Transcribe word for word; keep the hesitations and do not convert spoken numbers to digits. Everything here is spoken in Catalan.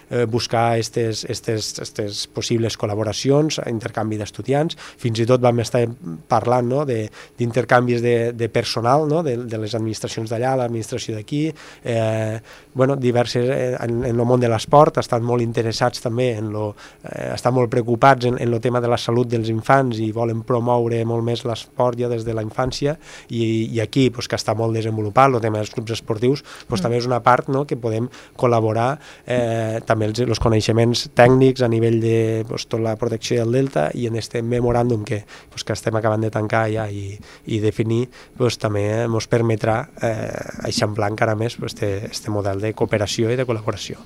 eh, buscar aquestes possibles col·laboracions, intercanvi d'estudiants, fins i tot vam estar parlant, no, d'intercanvis de, de personal, no, de, de les administracions d'allà, l'administració d'aquí, eh, bueno, diverses, eh, en, en el món de l'esport, estan molt interessats també, en lo, eh, estan molt preocupats en, en el tema de la salut dels infants i volen promoure molt més l'esport ja des de la infància, i, i aquí, pues, que està molt desenvolupat, el tema dels clubs esportius, pues, mm. també és una part, no, que podem col·laborar, eh, també els, els coneixements tècnics a nivell de pues, tota la protecció del delta, i en este memoràndum que, pues, que estem acabant de tancar ja i, i definir, pues, també ens permetrà eh, eixamplar encara més este, este model de cooperació i de col·laboració.